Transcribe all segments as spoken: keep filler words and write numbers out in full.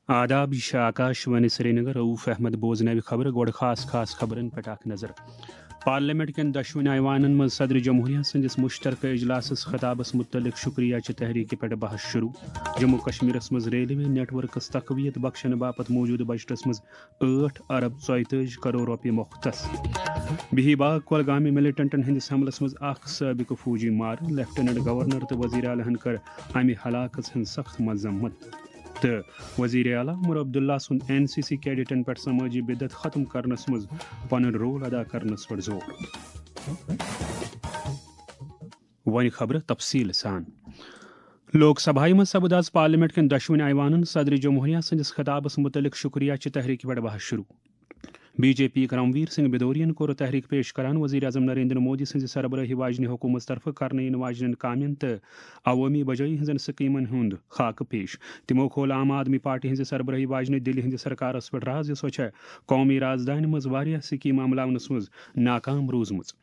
آداب، یہِ چھِ آکاش وانی سرینگر۔ رؤف احمد بوزناوِ خبرٕ۔ گۄڈٕ خاص خاص خبرن پٮ۪ٹھ اکھ نظر۔ پارلیمنٹ کٮ۪ن دۄشوٕنۍ ایوانن منٛز صدر جمہوریہ سٕنٛدِس مُشترکہٕ اجلاسس خطابس مُتعلق شکریہ چہِ تحریکہِ پٮ۪ٹھ بحث شروع۔ جموں کشمیرس منٛز ریلوے نیٹ ورکس تقویت بخشنہٕ باپتھ موجودٕ بجٹس منٛز ٲٹھ ارب ژۄیتٲجی کرور رۄپیہِ مختص۔ بہی باغ کۄلگامہِ ملیٹنٹن ہٕنٛدِس حملس منٛز اکھ سٲبقہٕ فوجی مارٕ۔ لیفٹیننٹ گورنر تہٕ وزیر اعلیٰ ہن کٔر امہِ ہلاکژ ہٕنٛز سخت مذمت۔ تہٕ وزیر اعلیٰ عمر عبداللہ سُنٛد این سی سی کیڈٹن پٮ۪ٹھ سمٲجی بدعت ختم کرنس منٛز پنُن رول ادا کرنس پٮ۪ٹھ زور۔ وۄنۍ خبرٕ تفصیٖل سان۔ لوک سبھایہ منٛز سپُد آز پارلیمنٹ کٮ۪ن دۄشوٕنۍ ایوانن صدر جمہوریہ سٕنٛدِس خطابس مُتعلق شکریہ چہِ تحریکہِ پٮ۪ٹھ بحث شروع۔ بی جے پی یُک رنویر سنگھ بدوریَن کوٚر تحریک پیش کران وزیر اعظم نریندر مودی سٕنٛزِ سربرٲہی واجنہِ حکوٗمت طرفہٕ کرنہٕ یِنہٕ واجنٮ۪ن کامٮ۪ن تہٕ عوٲمی بجٲیی ہٕنٛزن سکیمن ہُنٛد خاکہٕ پیش۔ تِمو کھول عام آدمی پارٹی ہٕنٛزِ سربرٲہی واجنہِ دِلہِ ہٕنٛدِ سرکارس پٮ۪ٹھ راز زِ سۄ چھےٚ قومی رازدانہِ منٛز واریاہ سکیمہٕ عملاونس منٛز ناکام روٗزمٕژ۔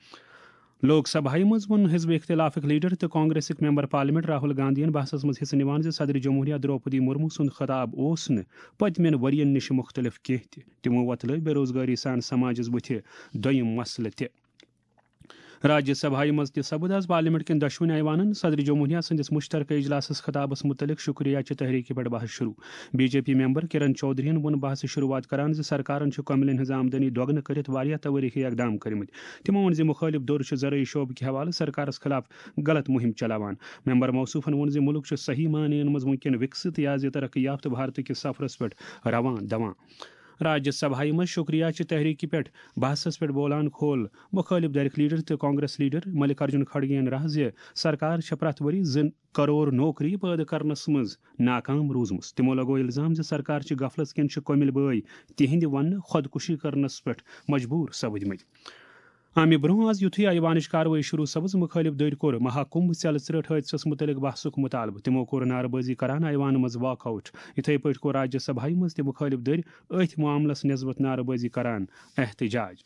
لوک سبھایہ منٛز ووٚن حزب اختلافٕکۍ لیڈر تہٕ کانگریسٕکۍ ممبر پارلیمنٹ راہل گاندھین بحثس منٛز حصہٕ نِوان زِ صدر جمہوریہ درٛوپدی مرمو سُنٛد خطاب اوس نہٕ پٔتمٮ۪ن ؤرین نِش مُختلف کینٛہہ تہِ۔ تِمو وۄتلٲوۍ بے روزگٲری سان سماجس بُتھِ دوٚیِم مسلہٕ تہِ۔ راجیہ سبھایہ منٛز تہِ سپُد آز پارلیمنٹ کٮ۪ن دۄشوٕنۍ ایوانن صدر جمہوریہ سٕنٛدِس مُشترکہٕ اجلاسس خطابس مُتعلق شکریہ چہِ تحریکہِ پٮ۪ٹھ بحث شروع۔ بی جے پی ممبر کرن چودھرین ووٚن بحثٕچ شروعات کران زِ سرکارن چھِ کۄمِلٮ۪ن ہٕنٛز آمدنی دۄگنہٕ کٔرِتھ واریاہ توٲریخی اقدام کٔرمٕتۍ۔ تِمو ووٚن زِ مُخٲلِف دھُر چھُ زرعی شعبہٕ کہِ حوالہٕ سرکارس خلاف غلط مُہِم چلاوان۔ ممبر موصوفن ووٚن زِ مُلک چھُ صحیح معنی منٛز وُنکٮ۪ن وِکسِت یا زِ ترقی یافتہٕ بھارتہٕ کِس سفرس پٮ۪ٹھ روان دوان۔ راجیہ سبھایہ منٛز شکریہ چہِ تحریکہِ پٮ۪ٹھ بحثس پٮ۪ٹھ بولان کھول مُخٲلِف دھرِکۍ لیڈر تہٕ کانگریس لیڈر ملک ارجن کھڑگے یَن راز زِ سرکار چھےٚ پرٛٮ۪تھ ؤری زٕ کرور نوکری پٲدٕ کرنس منٛز ناکام روٗزمٕژ۔ تِمو لگوو الزام زِ سرکار چھِ غفلت کِنۍ چھِ کۄمِلۍ بٲے تِہنٛدِ وننہٕ خودکشی کرنس پٮ۪ٹھ مجبوٗر سپٕدمٕتۍ۔ امہِ برونٛہہ آز یُتھُے ایوانٕچ کاروٲیی شروع سپٕز، مُخٲلِف دٔرۍ کوٚر مہاکُمبھ ژیلہٕ ژرٛٹھ حٲدثس مُتعلق بحثُک مُطالبہٕ۔ تِمو کوٚر نعرٕ بٲزی کران ایوانہٕ منٛز واک آؤٹ۔ یِتھے پٲٹھۍ کوٚر راجیہ سبھایہ منٛز تہِ مُخٲلِف دٔرۍ أتھۍ معاملس نسبت نعرٕ بٲزی کران احتجاج۔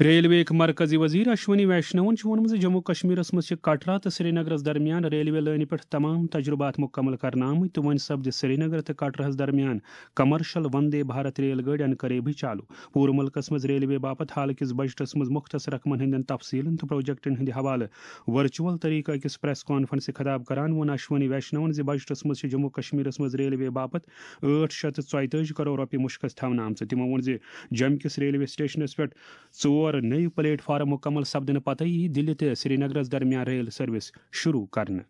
ریلوے یِکۍ مرکزی وزیر اشونی ویشنون چھُ ووٚنمُت زِ جموں کشمیرس منٛز چھِ کٹرا تہٕ سرینگرس درمیان ریلوے لٲنہِ پٮ۪ٹھ تمام تجربات مُکمل کرنہٕ آمٕتۍ تہٕ وۄنۍ سپدِ سرینگر تہٕ کٹراہس درمیان کمرشل وندے بھارت ریل گٲڑۍ عنقریبٕے چالو۔ پوٗرٕ مُلکَس منٛز ریلوے باپتھ حالٕکِس بجٹَس منٛز مُختص رقمَن ہٕنٛدٮ۪ن تفصیٖلَن تہٕ پروجیکٹَن ہٕنٛدِ حوالہٕ ورچوئل طریقہٕ أکِس پریس کانفرنسہِ خطاب کران ووٚن اشونی ویشنون زِ بجٹَس منٛز چھِ جموں کشمیرَس منٛز ریلوے باپتھ ٲٹھ شیٚتھ تہٕ ژۄیتٲجی کرور رۄپیہِ مُشخص تھاونہٕ آمژٕ۔ تِمو ووٚن زِ جوٚمہِ کِس ریلوے سٹیشنَس پٮ۪ٹھ ژور نٔوۍ پلیٹ فارم مُکمل سپدٕنہٕ پتَے یِیہِ دِلہِ تہٕ سرینگرَس درمیان ریل سروس شروع کرنہٕ۔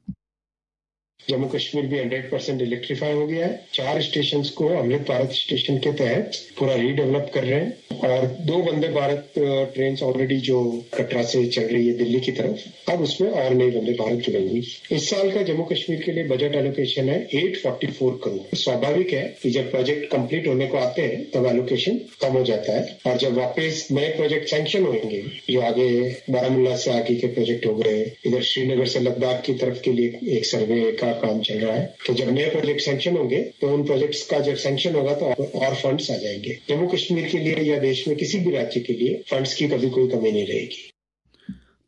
जम्मू कश्मीर भी हंड्रेड परसेंट इलेक्ट्रीफाई हो गया है। चार स्टेशंस को अमृत भारत स्टेशन के तहत पूरा रीडेवलप कर रहे हैं और दो वंदे भारत ट्रेन ऑलरेडी जो कटरा से चल रही है दिल्ली की तरफ, अब उसमें और नई वंदे भारत जुड़ेंगी। इस साल का जम्मू कश्मीर के लिए बजट एलोकेशन है एट फोर्टी फोर करोड़। स्वाभाविक है कि जब प्रोजेक्ट कंप्लीट होने को आते हैं तब एलोकेशन कम हो जाता है और जब वापस नए प्रोजेक्ट सैंक्शन होंगे, जो आगे बारामूला से आगे के प्रोजेक्ट हो गए, इधर श्रीनगर से लद्दाख की तरफ के लिए एक सर्वे का काम चल रहा है, तो जब नए प्रोजेक्ट सैंक्शन होंगे तो उन प्रोजेक्ट्स का जब सैंक्शन होगा तो और फंड्स आ जाएंगे। जम्मू कश्मीर के लिए या देश में किसी भी राज्य के लिए फंड्स की कभी कोई कमी नहीं रहेगी।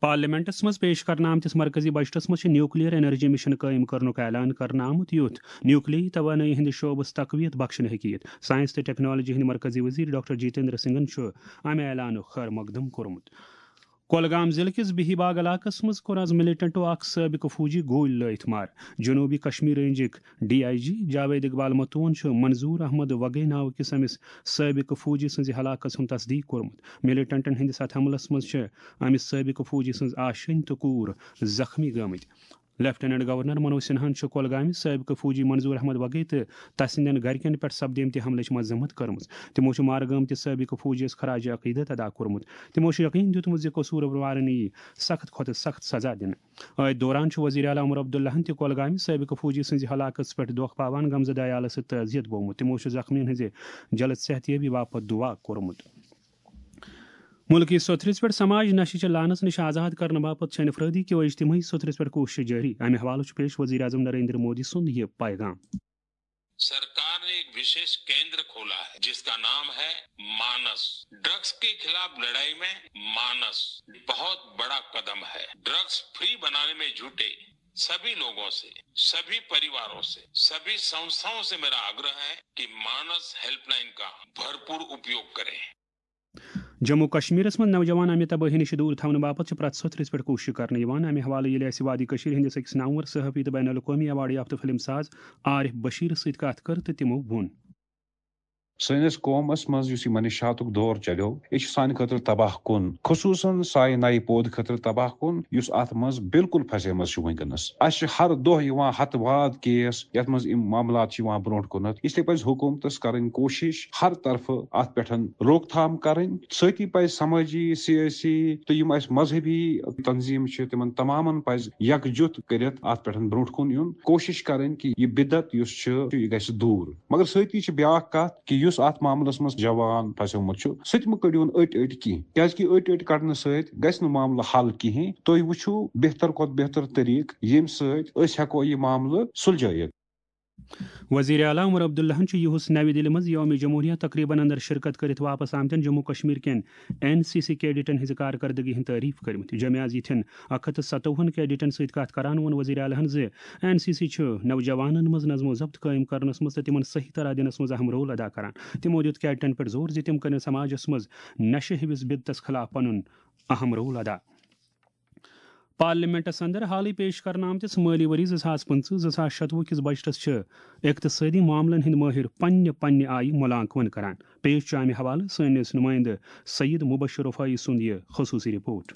پارلیمنٹس منٛز پیش کرنہٕ آمتِس مرکزی بجٹس منٛز چھِ نیوکلیئر انرجی مشن قٲیِم کرنُک اعلان کرنہٕ آمُت، یُتھ نیوکلیٲیی توانٲیی ہٕنٛدِ شعبس تقویت بخشنہٕ ہیٚکہِ یِتھ۔ ساینس تہٕ ٹیکنالوجی ہٕنٛدۍ مرکزی وزیر ڈاکٹر جتیندر سنگھن چھُ امہِ اعلانُک خیر مقدم کوٚرمُت۔ کۄلگام ضلعہٕ کِس بہی باغ علاقس منٛز کوٚر آز ملیٹنٹو اکھ سٲبقہٕ فوجی گولۍ لٲیِتھ مارٕ۔ جنوبی کشمیر رینجٕکۍ ڈی آئی جی جاوید اقبال متون چھُ منظور احمد وگے ناوٕ کِس أمِس سٲبقہٕ فوجی سٕنٛزِ ہلاکس ہُنٛد تصدیق کوٚرمُت۔ ملیٹنٹن ہٕنٛدِس اتھ حملس منٛز چھِ أمِس سٲبقہٕ فوجی سٕنٛز آشینۍ تہٕ کوٗر زخمی گٔمٕتۍ۔ لیفٹیننٹ گورنر منوج سنہاہن چھُ کۄلگامہِ سٲبقہٕ فوجی منظور احمد وگے تہٕ تسٕنٛدٮ۪ن گرِکٮ۪ن پٮ۪ٹھ سپدیمتہِ حملٕچ مذمت کٔرمٕژ۔ تِمو چھُ مارٕ گٲمتِس سٲبقہٕ فوجیَس خراج عقیدت ادا کوٚرمُت۔ تِمو چھُ یقین دیُتمُت زِ قصوٗروارَن یِیہِ سخت کھۄتہٕ سخت سزا دِنہٕ۔ أتھۍ دوران چھُ وزیر اعلیٰ عمر عبداللہن تہِ کۄلگامہِ سٲبقہٕ فوجی سٕنٛزِ ہلاکتس پٮ۪ٹھ دۄکھ پاوان غمزدہ عیالس سۭتۍ تعزیت بوومُت۔ تِمو چھُ زخمیَن ہٕنٛزِ جلد صحت یابی باپتھ دُعا کوٚرمُت۔ مُلکی سوٚتھرِس پٮ۪ٹھ سماج نشہِ چہِ لعنس نِش آزاد کرنہٕ باپتھ چھِ انفرٲدی کیو اجتماعی سوٚتھرِس پٮ۪ٹھ کوٗشش جٲری۔ امہِ حوالہٕ چھُ پیش وزیر اعظم نریندر مودی سُنٛد یہِ پیغام۔ सरकार ने एक विशेष केंद्र खोला है जिसका नाम है मानस। ड्रग्स के खिलाफ लड़ाई में मानस बहुत बड़ा कदम है। ड्रग्स फ्री बनाने में जुटे सभी लोगों से, सभी परिवारों से, सभी संस्थाओं से मेरा आग्रह है कि मानस हेल्पलाइन का भरपूर उपयोग करें। जम्मू कश्मीरس منٛز نوجوان امہِ تبٲہی نِش دوٗر تھاونہٕ باپتھ چھِ پرٛٮ۪تھ ساتہٕ رِژ پٮ۪ٹھ کوٗشش کرنہٕ یِوان۔ امہِ حوالہٕ ییٚلہِ اسہِ وادی کٔشیٖرِ ہٕنٛدِس أکِس نامور صحافی تہٕ بین الاقوٲمی ایوارڈ یافتہٕ فلم ساز عارف بشیرس سۭتۍ کتھ کٔر تہٕ تِمو ووٚن۔ سٲنِس قومس منٛز یُس یہِ منشاتُک دور چلیو، یہِ چھُ سانہِ خٲطرٕ تباہ کُن، خصوٗصاً سانہِ نَیہِ پودٕ خٲطرٕ تباہ کُن، یُس اتھ منٛز بالکل پھسیمٕژ چھِ وٕنکیٚنس۔ اسہِ چھِ ہر دۄہ یِوان ہتہٕ واد کیس، یتھ منٛز یِم معاملات چھِ یِوان برونٛٹھ کُنتھ۔ اس لیے پزِ حکومتس کرٕنۍ کوٗشش ہر طرفہٕ اتھ پٮ۪ٹھ روک تھام کرٕنۍ۔ سۭتی پزِ سمٲجی، سیٲسی تہٕ یِم اسہِ مذہبی تنظیٖم چھِ، تِمن تمامن پزِ یکجُت کٔرِتھ اتھ پٮ۪ٹھ برونٛٹھ کُن یُن، کوٗشش کرٕنۍ کہِ یہِ بدعت یُس چھُ، یہِ گژھِ دوٗر۔ مگر سۭتی چھِ بیٛاکھ کتھ کہِ یُس اتھ معاملس منٛز جوان پھسیومُت چھُ، سُہ تہِ مہٕ کٔڑِوُن أٹۍ أٹۍ کینٛہہ، کیازِ کہِ أٹۍ أٹۍ کڑنہٕ سۭتۍ گژھِ نہٕ معاملہٕ حل کِہیٖنۍ۔ تُہۍ وٕچھِو بہتر کھۄتہٕ بہتر طریٖقہٕ، ییٚمہِ سۭتۍ أسۍ ہٮ۪کو یہِ معاملہٕ سُلجھٲیِتھ۔ وزیر اعلیٰ عمر عبداللہن چھُ یُہُس نَوِ دِلہِ منٛز یوم جمہوریہ تقریبن اندر شرکت کٔرِتھ واپس آمتٮ۪ن جموں کشمیر کٮ۪ن این سی سی کیڈٹن ہٕنٛزِ کارکردگی ہٕنٛز تعریف کٔرمٕژ۔ جمعہ از یِتھٮ۪ن اکھ ہتھ تہٕ ستووُہن کیڈٹن سۭتۍ کتھ کران ووٚن وزیر اعلیٰ ہن زِ این سی سی چھُ نوجوانن منٛز نظم و ضبط قٲیِم کرنس منٛز تہٕ تِمن صحیح طرح دِنس منٛز اہم رول ادا کران۔ تِمو دِیُت کیڈٹن پٮ۪ٹھ زور زِ تِم کرن سماجس منٛز نشہٕ ہِوِس بدعتس خلاف پنُن اہم رول ادا۔ پارلیمنٹس اندر حالٕے پیش کرنہٕ آمتِس مٲلی ؤری زٕ ساس پٕنٛژٕہ زٕ ساس شتوُہ کِس بجٹس چھِ اقتصٲدی معاملن ہٕنٛدۍ مٲہِر پننہِ پننہِ آیہِ مُلانکون کران۔ پیش چھُ امہِ حوالہٕ سٲنِس نُمٲیندٕ سید مبشر رفاعی سُنٛد یہِ خصوٗصی رپورٹ۔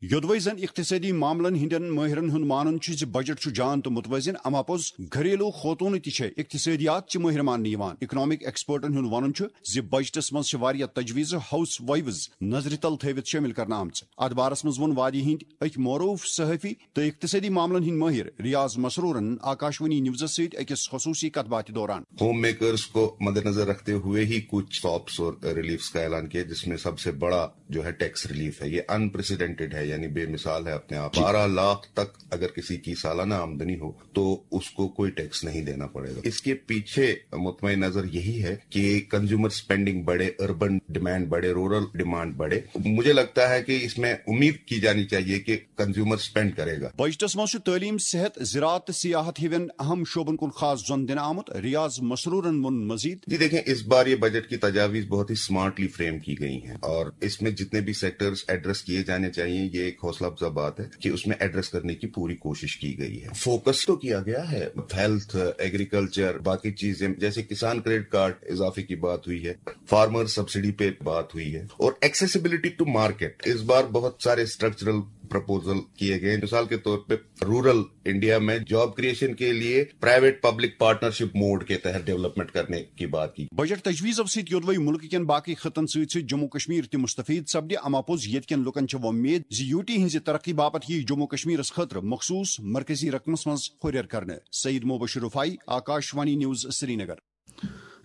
یوٚدوَے زن اقتصٲدی معاملن ہٕنٛدٮ۪ن مٲہرن ہُنٛد مانُن چھُ زِ بجٹ چھُ جان تہٕ متوازن، اما پوٚز گھریلو خوتونہٕ تہِ چھےٚ اقتصٲدیات چہِ مٲہرِ ماننہٕ یِوان۔ اکنامک ایکسپرٹن ہُنٛد ونُن چھُ زِ بجٹس منٛز چھِ واریاہ تجویزٕ ہاؤس وائیوز نظرِ تل تھٲوِتھ شٲمِل کرنہٕ آمژٕ۔ اتھ بارس منٛز ووٚن وادی ہٕنٛدۍ أکۍ معروف صحافی تہٕ اقتصٲدی معاملن ہٕنٛدۍ مٲہِر ریاض مسرورن آکاشوانی نیوزس سۭتۍ أکِس خصوٗصی کتھ باتھِ دوران۔ ہوم میکرز کو مدنظر رکھتے ہوئے ہی کچھ ساپس اور ریلیفس کا اعلان کیا، جس میں سب سے بڑا جو ہے ٹیکس ریلیف ہے۔ یہ انپریسیڈنٹڈ ہے، یعنی بے مثال ہے اپنے آپ۔ بارہ لاکھ تک اگر کسی کی سالانہ آمدنی ہو تو اس کو کوئی ٹیکس نہیں دینا پڑے گا۔ اس کے پیچھے مطمئن نظر یہی ہے کہ کنزیومر اسپینڈنگ بڑھے، اربن ڈیمانڈ بڑھے، رورل ڈیمانڈ بڑھے۔ مجھے لگتا ہے کہ اس میں امید کی جانی چاہیے کہ کنزیومر اسپینڈ کرے گا۔ بجٹس منٛز چھُ تعلیم، صحت، زراعت تہٕ سیاحت ہِوٮ۪ن اہم شعبن کُن خاص زۄن دِنہٕ آمُت۔ ریاض مسرورن ووٚن مزید۔ جی دیکھیں، اس بار یہ بجٹ کی تجاویز بہت ہی سمارٹلی فریم کی گئی ہیں اور اس میں جتنے بھی سیکٹرز ایڈریس کیے جانے چاہیے، یہ ایک حوصلہ افزا بات ہے کہ اس میں ایڈریس کرنے کی پوری کوشش کی گئی ہے۔ فوکس تو کیا گیا ہے، ہیلتھ، ایگریکلچر، باقی چیزیں، جیسے کسان کریڈٹ کارڈ اضافے کی بات ہوئی ہے، فارمر سبسڈی پہ بات ہوئی ہے اور ایکسیسیبلٹی ٹو مارکیٹ۔ اس بار بہت سارے اسٹرکچرل پروپوزل کیے گئے ہیں۔ مثال کے طور پہ رورل انڈیا میں جاب کریشن کے لیے پرائیویٹ پبلک پارٹنرشپ موڈ کے تحت ڈیولپمنٹ کرنے کی بات کی۔ بجٹ تجویزو سۭتۍ یوٚدوَے مُلکہٕ کٮ۪ن باقٕے خطن سۭتۍ سۭتۍ جموں کشمیر تہِ مستفید سپدِ، اما پوٚز ییٚتہِ کٮ۪ن لوٗکن چھےٚ وۄمید زِ یوٗ ٹی ہٕنٛزِ ترقی باپتھ یِیہِ جموں کشمیرس خٲطرٕ مخصوٗص مرکزی رقمس منٛز ہُرٮ۪ر کرنہٕ۔ سعید مبشر رفاعی، آکاشوانی نیوز، سرینگر۔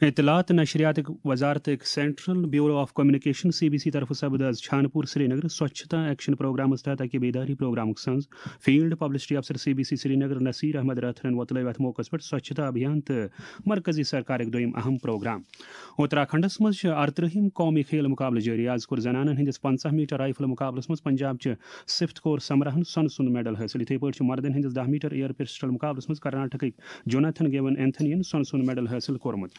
اطلاعات تہٕ نشریاتٕکۍ وزارتٕکۍ central bureau of communication, C B C, طرفہٕ سپد از چھانپور سرینگر سوچھتا ایکشن پروگرامس تحت اکہِ بیداری پروگرامُک سنز۔ فیلڈ پبلسٹی افسر C B C Srinagar Nasir Ahmad رٲتھرن وۄتلٲوۍ اتھ موقعس پٮ۪ٹھ سوچھتا ابھیان تہٕ مرکزی سرکارٕکۍ دوٚیِم اہم پروگرام۔ اتراکھنڈس منٛز چھِ ارترٕہِم قومی کھیل مقابلہٕ جٲری۔ از کوٚر زنانن ہٕنٛدِس پنژاہ میٹر رائفل مقابلس منٛز پنجاب چہِ سفت کور سمراہن سۄنہٕ سُنٛد میڈل حٲصِل۔ یِتھے پٲٹھۍ چھُ مردن ہٕنٛدِس دَہ میٹر ایئر پسٹل مقابلس منٛز کرناٹکٕکۍ جوناتھن گیون اینتھنی ین سۄنہٕ سُنٛد میڈل حٲصِل کوٚرمُت۔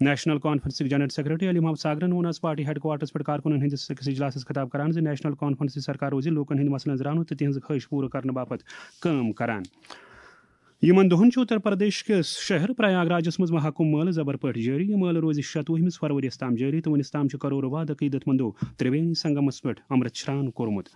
نیشنل کانفرنسٕکۍ جنرل سیکرٹری علی محمد ساگرن ووٚن از پارٹی ہیڈ کوارٹرس پٮ۪ٹھ کارکُنن ہٕنٛدِس أکِس اجلاسس خطاب کران زِ نیشنل کانفرنس سرکار روزِ لوٗکن ہٕنٛدۍ مسلن زرانہٕ تہٕ تِہنٛز خٲہِش پوٗرٕ کرنہٕ باپتھ کٲم کران۔ یِمن دۄہن چھُ اتر پردیش کِس شہر پریاگ راجس منٛز مہاکُمبھ مٲلہٕ زبر پٲٹھۍ جٲری۔ یہِ مٲلہٕ روزِ شتوُہمِس فروریَس تام جٲری تہٕ وُنِس تام چھِ کرورو واد عقیدت مندو ترٛوینی سنگمس پٮ۪ٹھ امرت شران کوٚرمُت۔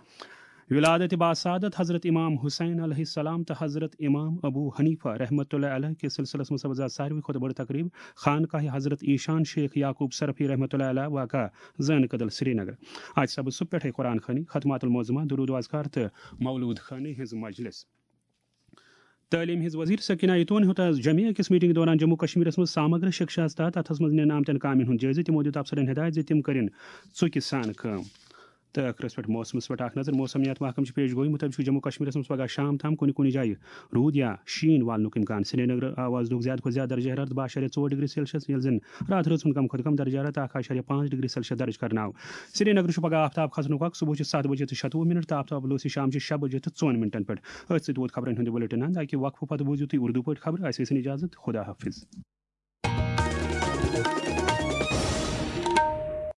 ولادت باسعادت حضرت امام حسین علیہ السلام تہٕ حضرت امام ابو حنیفہ رحمۃ اللہ علیہ کِس سلسلس منٛز سپٕز آز ساروی کھۄتہٕ بٔڑ تقریب خانقاہ حضرت ایشان شیخ یعقوب صرفی رحمۃ اللہ علیہ واقع زٲنہٕ کدل سرینگر۔ اتہِ سپٕز صبح پٮ۪ٹھے قرآن خوانی، ختمات المعظمہ، درود و اذکار تہٕ مولود خوانی ہٕنٛز مجلس۔ تعلیٖم ہٕنٛز وزیر سکینہ ایتون ہیوٚت آز جمعہ أکِس میٹنگ دوران جموں کشمیرس منٛز سامگرا شکشاہس تحت اتھس منٛز نِنہٕ آمتٮ۪ن کامٮ۪ن ہُنٛد جٲیزٕ۔ تِمو دِیُت افسرن ہدایت زِ تِم کٔرِن ژُکہِ سان کٲم۔ تہٕ ٲخرس پٮ۪ٹھ موسمس پٮ۪ٹھ اکھ نظر۔ موسمیات محکمہٕ چہِ پیش گویی مُطٲبِق چھُ جموں کشمیرس منٛز پگاہ شام تام کُنہِ کُنہِ جایہِ روٗد یا شیٖن والنُک امکان۔ سرینگر آو آز دۄہُک زیادٕ کھۄتہٕ زیادٕ درجہ حرارت باہ اَشاریہ ژور ڈگری سیلسیس، ییٚلہِ زن راتھ رٲژ ہُنٛد کم کھۄتہٕ کم درجہ حرارت اکھ اَشاریہ پانٛژھ ڈگری سیلسیس درج کرنہٕ آو۔ سرینگر چھُ پگاہ آفتاب کھسنُک وقت، صبحس چھِ ستھ بجے تہٕ شتوُہ منٹ تہٕ آفتاب لوسہِ شام چہِ شےٚ بجے تہٕ ژۄن منٹن پٮ۪ٹھ۔ أتھۍ سۭتۍ ووت خبرن ہُنٛد یہِ بُلٹن اند۔ اکہِ وقفہٕ پتہٕ بوٗزِو تُہۍ اردو پٲٹھۍ خبرٕ۔ اسہِ ٲسِن اجازت، خدا حافظ۔